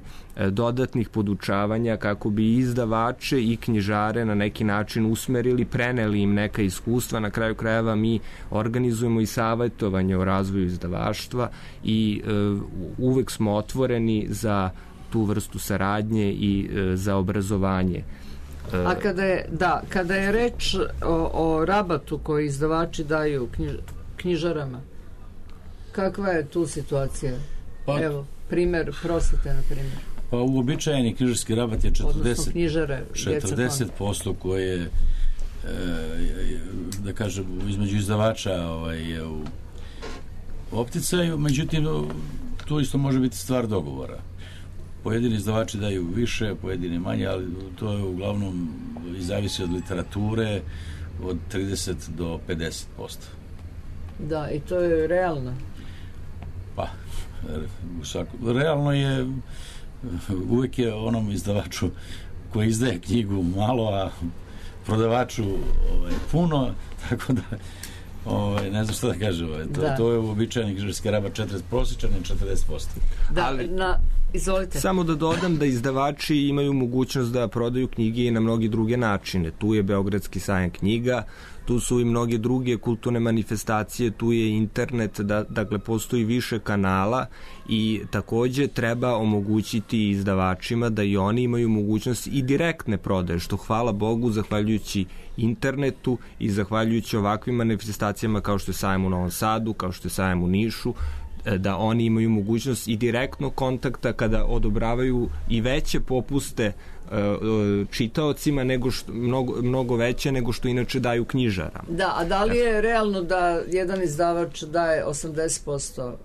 dodatnih podučavanja kako bi izdavače i knjižare na neki način usmerili, preneli im neka iskustva. Na kraju krajeva mi organizujemo i savjetovanje o razvoju izdavaštva i uvek smo otvoreni za tu vrstu saradnje i e, za obrazovanje. E, A kada je, da, kada je reč o, o rabatu koji izdavači daju knjiž, knjižarama, kakva je tu situacija? Pa, Evo, primer prosvete, na primjer. Pa uobičajeni knjižarski rabat je četrdeset, knjižare, četrdeset posto koje e, da kažem između izdavača ovaj, je u opticaju, međutim tu isto može biti stvar dogovora. Pojedini izdavači daju više, pojedini manje, ali to je uglavnom i zavisi od literature od trideset do pedeset posto. Da, i to je realno. Pa, u svaku, realno je uvek je onom izdavaču koji izdaje knjigu malo, a prodavaču ovaj, puno, tako da ovaj, ne znam što da kažem, ovaj, to, to je uobičajeni knjižarski rabat četrdeset, prosječan je četrdeset posto. Da, ali, na, izvolite. Samo da dodam da izdavači imaju mogućnost da prodaju knjige i na mnogi druge načine. Tu je Beogradski sajam knjiga, tu su i mnoge druge kulturne manifestacije, tu je internet, da, dakle postoji više kanala i takođe treba omogućiti izdavačima da i oni imaju mogućnost i direktne prodaje, što hvala Bogu zahvaljujući internetu i zahvaljujući ovakvim manifestacijama kao što je sajam u Novom Sadu, kao što je sajam u Nišu, da oni imaju mogućnost i direktnog kontakta kada odobravaju i veće popuste čitaocima nego što, mnogo, mnogo veće nego što inače daju knjižara. Da, a da li je realno da jedan izdavač daje osamdeset posto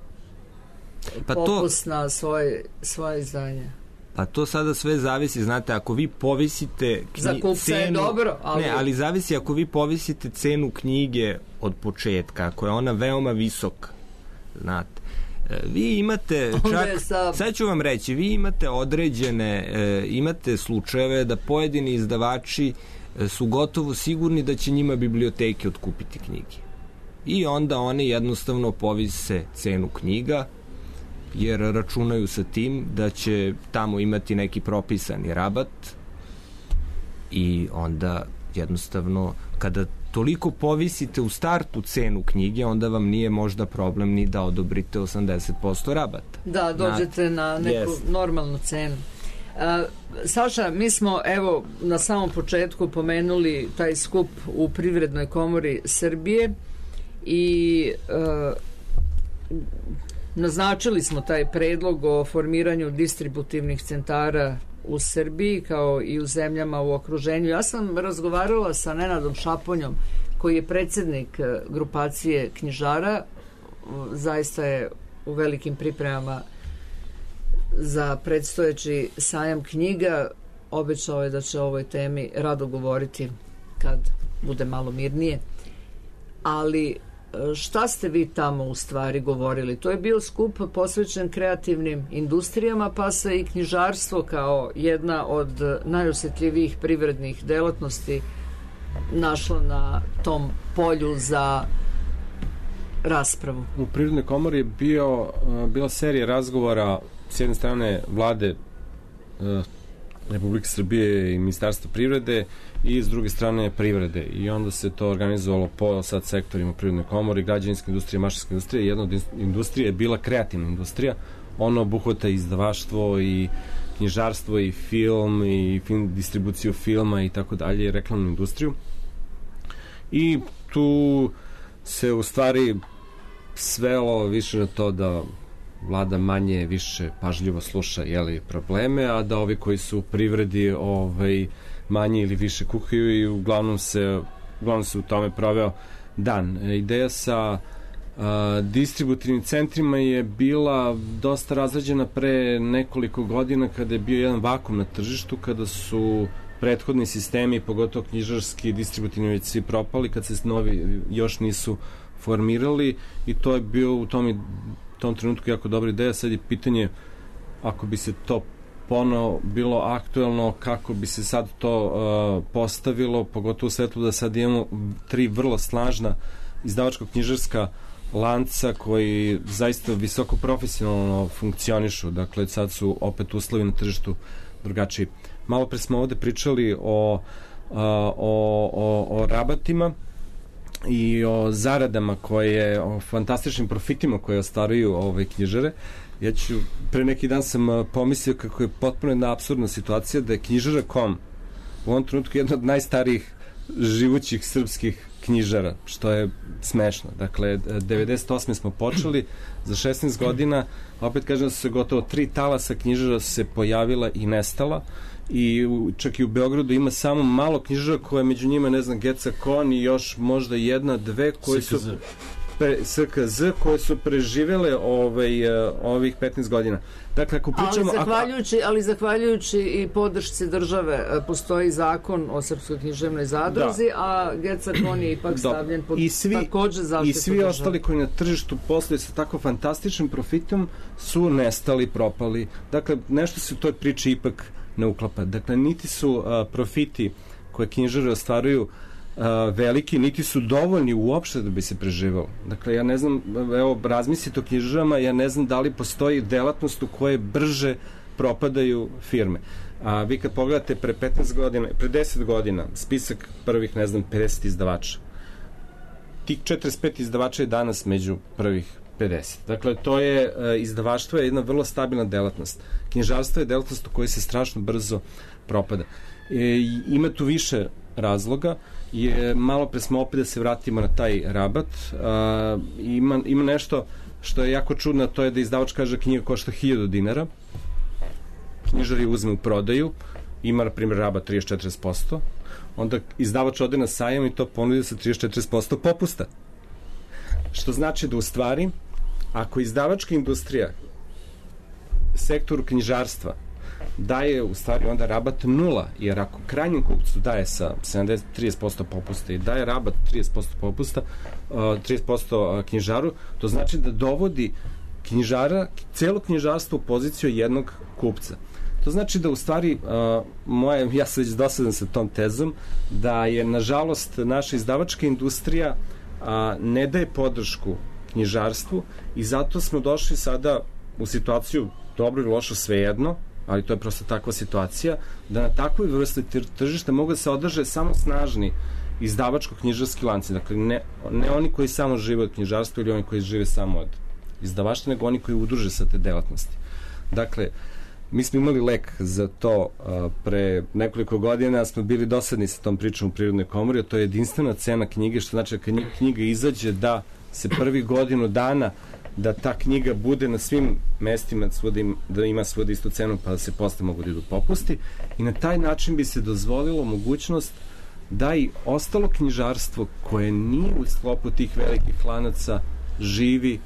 pa popust to, na svoje, svoje izdanje? Pa to sada sve zavisi, znate, ako vi povisite knji, za kupca cenu, je dobro, ali... Ne, ali zavisi ako vi povisite cenu knjige od početka, ako je ona veoma visoka, znate, vi imate čak, sad ću vam reći, vi imate određene, e, imate slučajeve da pojedini izdavači e, su gotovo sigurni da će njima biblioteke otkupiti knjige. I onda oni jednostavno povise cenu knjiga, jer računaju sa tim da će tamo imati neki propisani rabat i onda jednostavno kada toliko povisite u startu cenu knjige, onda vam nije možda problem ni da odobrite osamdeset posto rabata. Da, dođete na, na neku yes. normalnu cenu. Uh, Saša, mi smo evo na samom početku pomenuli taj skup u Privrednoj komori Srbije i uh, naznačili smo taj predlog o formiranju distributivnih centara u Srbiji kao i u zemljama u okruženju. Ja sam razgovarala sa Nenadom Šaponjom koji je predsjednik grupacije knjižara, zaista je u velikim pripremama za predstojeći sajam knjiga, obećao je da će o ovoj temi rado govoriti kad bude malo mirnije. Ali šta ste vi tamo u stvari govorili? To je bio skup posvećen kreativnim industrijama, pa se i knjižarstvo kao jedna od najosjetljivijih privrednih delatnosti našlo na tom polju za raspravu. U Privrednoj komori je bio, bila serija razgovora s jedne strane vlade Republike Srbije i Ministarstva privrede i s druge strane privrede i onda se to organizovalo po sad sektorima u Privrednoj komori, građevinska industrija, mašinska industrija. Jedna od industrija je bila kreativna industrija, ona obuhvata izdavaštvo i knjižarstvo i film i film, distribuciju filma i tako dalje, reklamnu industriju. I tu se u stvari svelo više na to da vlada manje više pažljivo sluša jeli, probleme, a da ovi koji su u privredi ovaj, manje ili više kuhaju i uglavnom se, uglavnom se u tome proveo dan. Ideja sa a, distributivnim centrima je bila dosta razrađena pre nekoliko godina kada je bio jedan vakum na tržištu, kada su prethodni sistemi, pogotovo knjižarski distributivni već svi propali, kad se novi još nisu formirali i to je bio u tom, tom trenutku jako dobra ideja. Sad je pitanje ako bi se to ponovo bilo aktuelno, kako bi se sad to uh, postavilo, pogotovo u svetlu da sad imamo tri vrlo snažna izdavačko-knjižarska lanca koji zaista visoko profesionalno funkcionišu. Dakle, sad su opet uslovi na tržištu drugačiji. Malo pre smo ovde pričali o, o, o, o rabatima i o zaradama koje, o fantastičnim profitima koje ostvaruju ove knjižare. Ja ću, pre neki dan sam pomislio kako je potpuno jedna apsurdna situacija da je knjižara kod com u ovom trenutku jedna od najstarijih živućih srpskih knjižara, što je smešno. Dakle, devedeset osme smo počeli, za šesnaest godina, opet kažem da su se gotovo tri talasa knjižara su se pojavila i nestala, i čak i u Beogradu ima samo malo knjižara koje među njima, ne znam, Geca Kon i još možda jedna, dve koje su pre, S K Z koje su preživele ovaj, ovih petnaest godina. Dakle, ako pričamo... Ali zahvaljujući, ali zahvaljujući i podršci države postoji zakon o Srpskoj književnoj zadruzi, da. A Geca Kon je ipak stavljen pod I svi, takođe zaštitu i svi države. Ostali koji na tržištu posluju sa tako fantastičnim profitom su nestali, propali. Dakle, nešto se u toj priči ipak ne uklapa. Dakle, niti su uh, profiti koje knjižare ostvaruju uh, veliki, niti su dovoljni uopšte da bi se preživalo. Dakle, ja ne znam, evo, razmislite o knjižarama, ja ne znam da li postoji delatnost u kojoj brže propadaju firme. A vi kad pogledate pre petnaest godina, pre deset godina, spisak prvih, ne znam, pedeset izdavača, tih četrdeset pet izdavača je danas među prvih pedeset. Dakle, to je, izdavaštvo je jedna vrlo stabilna delatnost. Knjižarstvo je delatnost u kojoj se strašno brzo propada. E, ima tu više razloga. Je, malo pre smo opet da se vratimo na taj rabat. A, ima, ima nešto što je jako čudno, to je da izdavač kaže knjiga košta hiljadu dinara. Knjižar je uzme u prodaju, ima, na primjer, rabat trideset do četrdeset posto. Onda izdavač ode na sajam i to ponudi sa trideset do četrdeset posto popusta. Što znači da u stvari, ako izdavačka industrija sektoru knjižarstva daje u stvari onda rabat nula, jer ako krajnjem kupcu daje sa sedamdeset do trideset posto popusta i daje rabat trideset posto popusta, trideset posto knjižaru, to znači da dovodi knjižara, celo knjižarstvo u poziciju jednog kupca. To znači da u stvari, uh, moje, ja sam već dosadan sa tom tezom, da je nažalost naša izdavačka industrija uh, ne daje podršku knjižarstvu i zato smo došli sada u situaciju, dobro ili lošo svejedno, ali to je prosto takva situacija, da na takvoj vrsti tržišta mogu da se održe samo snažni izdavačko-knjižarski lanci. Dakle, ne, ne oni koji samo žive od knjižarstva ili oni koji žive samo od izdavaštva, nego oni koji udruže sa te delatnosti. Dakle, mi smo imali lek za to a, pre nekoliko godina, smo bili dosadni sa tom pričom u Prirodnoj komori, a to je jedinstvena cena knjige, što znači da knjiga izađe da se prvi godinu dana da ta knjiga bude na svim mestima da ima svuda istu cenu pa da se posle mogu da idu popusti i na taj način bi se dozvolilo mogućnost da i ostalo knjižarstvo koje nije u sklopu tih velikih lanaca živi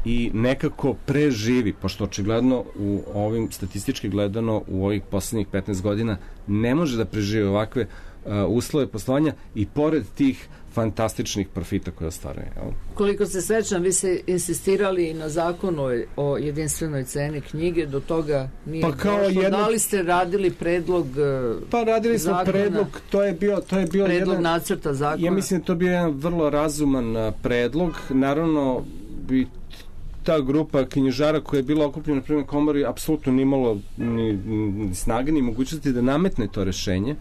i nekako preživi, pošto očigledno u ovim statistički gledano u ovih poslednjih petnaest godina ne može da preživi ovakve uh, uslove poslovanja i pored tih fantastičnih profita koje ostvaruje. Koliko se sećam, vi ste insistirali na zakonu o jedinstvenoj ceni knjige, do toga nije pa kao došlo. Jedno... Da li ste radili predlog Pa radili smo zakona, predlog, to je bio, to je bio predlog jedan, nacrta zakona? Ja mislim da to bio jedan vrlo razuman predlog. Naravno, bi ta grupa knjižara koja je bila okupljena na primjer komori apsolutno nimalo ni, ni snage ni mogućnosti da nametne to rešenje,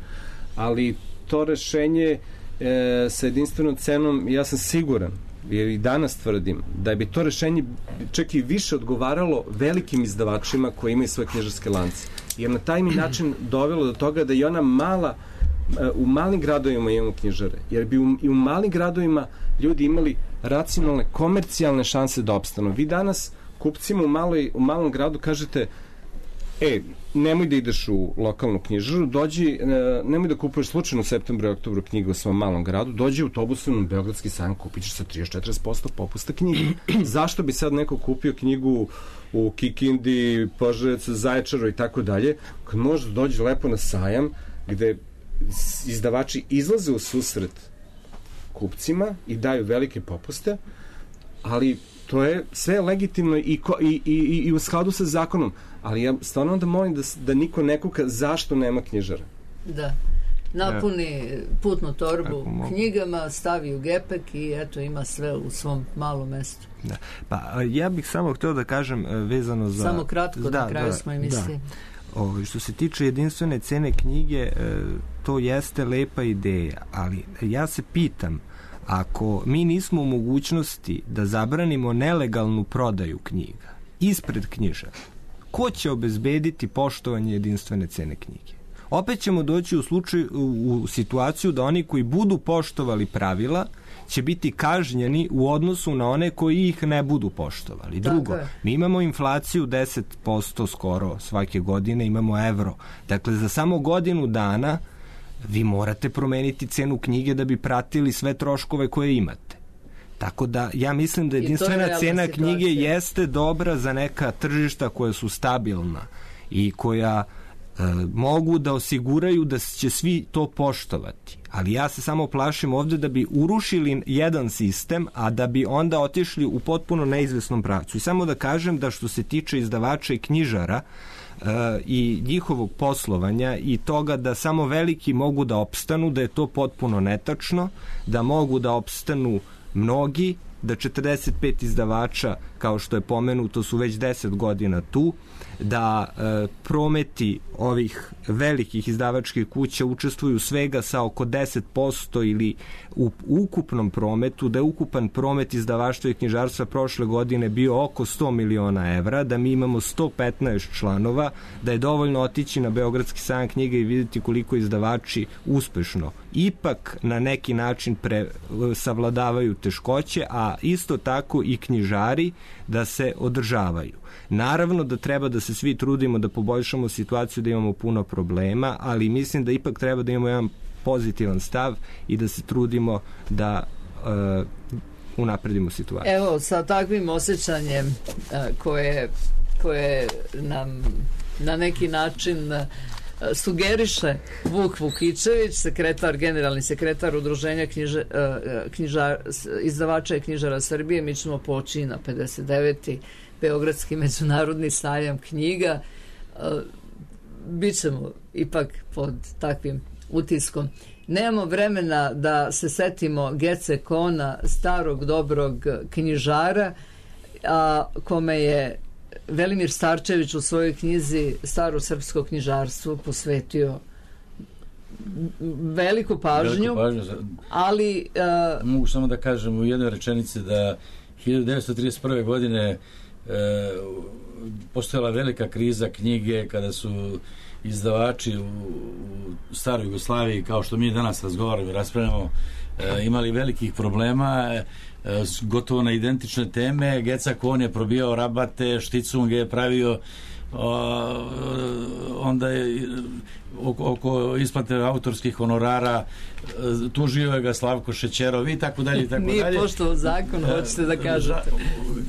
ali to rešenje e, sa jedinstvenom cenom, ja sam siguran, jer i danas tvrdim, da bi to rešenje čak i više odgovaralo velikim izdavačima koji imaju svoje knjižarske lance. jer na taj mi način dovelo do toga da i ona mala, u malim gradovima imamo knjižare, jer bi u, i u malim gradovima ljudi imali racionalne, komercijalne šanse da opstanu. Vi danas kupcima u, maloj, u malom gradu kažete, e, nemoj da ideš u lokalnu knjižaru, dođi, nemoj da kupuješ slučajno u septembru i oktobru knjigu u svom malom gradu, dođi u autobusom na Beogradski sajam, kupit ćeš sa trideset do četrdeset posto popusta knjige. Zašto bi sad neko kupio knjigu u Kikindi, Požarevcu, Zaječaru i tako dalje, kad može da dođe lepo na sajam, gde izdavači izlaze u susret kupcima i daju velike popuste, ali to je sve legitimno i, ko, i, i, i u skladu sa zakonom. Ali ja stvarno onda molim da, da niko ne kuka zašto nema knjižara. Da. Napuni putnu torbu knjigama, stavi u gepek i eto ima sve u svom malom mestu. Da. Pa ja bih samo htio da kažem vezano za... Samo kratko, da, na kraju da, smo emisije. Da. O, što se tiče jedinstvene cene knjige, to jeste lepa ideja, ali ja se pitam, ako mi nismo u mogućnosti da zabranimo nelegalnu prodaju knjiga ispred knjižara, ko će obezbediti poštovanje jedinstvene cene knjige? Opet ćemo doći u, slučaju, u situaciju da oni koji budu poštovali pravila će biti kažnjeni u odnosu na one koji ih ne budu poštovali. Drugo, mi imamo inflaciju deset posto skoro svake godine, imamo evro. Dakle, za samo godinu dana vi morate promeniti cenu knjige da bi pratili sve troškove koje imate. Tako da ja mislim da jedinstvena cena knjige jeste dobra za neka tržišta koja su stabilna i koja e, mogu da osiguraju da će svi to poštovati. Ali ja se samo plašim ovde da bi urušili jedan sistem, a da bi onda otišli u potpuno neizvesnom pravcu. I samo da kažem da što se tiče izdavača i knjižara, Uh, i njihovog poslovanja i toga da samo veliki mogu da opstanu, da je to potpuno netačno, da mogu da opstanu mnogi, da četrdeset pet izdavača, kao što je pomenuto, su već deset godina tu, da e, prometi ovih velikih izdavačkih kuća učestvuju svega sa oko deset posto ili u ukupnom prometu, da je ukupan promet izdavaštva i knjižarstva prošle godine bio oko sto miliona evra, da mi imamo sto petnaest članova, da je dovoljno otići na Beogradski sajam knjiga i vidjeti koliko izdavači uspešno ipak na neki način pre, savladavaju teškoće, a isto tako i knjižari da se održavaju. Naravno da treba da se svi trudimo da poboljšamo situaciju, da imamo puno problema, ali mislim da ipak treba da imamo jedan pozitivan stav i da se trudimo da uh, unapredimo situaciju. Evo, sa takvim osjećanjem uh, koje, koje nam na neki način uh, sugeriše Vuk Vukičević, sekretar, generalni sekretar Udruženja knjiže, uh, knjižar, izdavača i knjižara Srbije, mi ćemo poći na pedeset deveti Beogradski međunarodni sajam knjiga. Bićemo ipak pod takvim utiskom. Nemamo vremena da se setimo Gece Kona, starog dobrog knjižara, a kome je Velimir Starčević u svojoj knjizi Staro srpsko knjižarstvo posvetio veliku pažnju, veliku pažnju. ali uh, mogu samo da kažem u jednoj rečenici da hiljadu devetsto trideset prve godine E, postojala velika kriza knjige kada su izdavači u, u staroj Jugoslaviji, kao što mi danas razgovaramo i raspravljamo, e, imali velikih problema, e, gotovo na identične teme. Geca Kon je probijao rabate, Šticung je pravio o, onda je oko, oko isplate autorskih honorara tužio je ga Slavko Šećerov i tako dalje i tako dalje. Nije poštovao zakon, hoćete da kažete.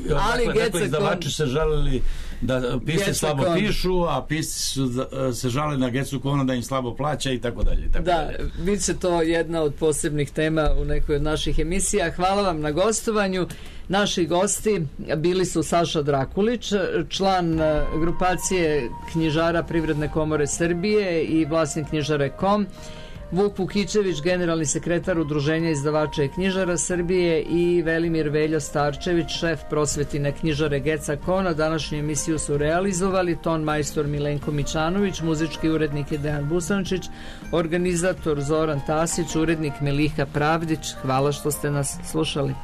Ali dakle, dakle, izdavači se žalili da pisci slabo Kon. pišu, a pisci su se žalili na Gecu Kona da im slabo plaća i tako dalje. Tako da, dalje. bit će to jedna od posebnih tema u nekoj od naših emisija. Hvala vam na gostovanju. Naši gosti bili su Saša Drakulić, član grupacije knjižara Privredne komore Srbije i vlasnik knjižare kom, Vuk Vukičević, generalni sekretar Udruženja izdavača i knjižara Srbije i Velimir Veljo Starčević, šef prosvetine knjižare Geca Kona. Današnju emisiju su realizovali ton majstor Milenko Mićanović, muzički urednik je Dejan Busančić, organizator Zoran Tasić, urednik Miliha Pravdić. Hvala što ste nas slušali.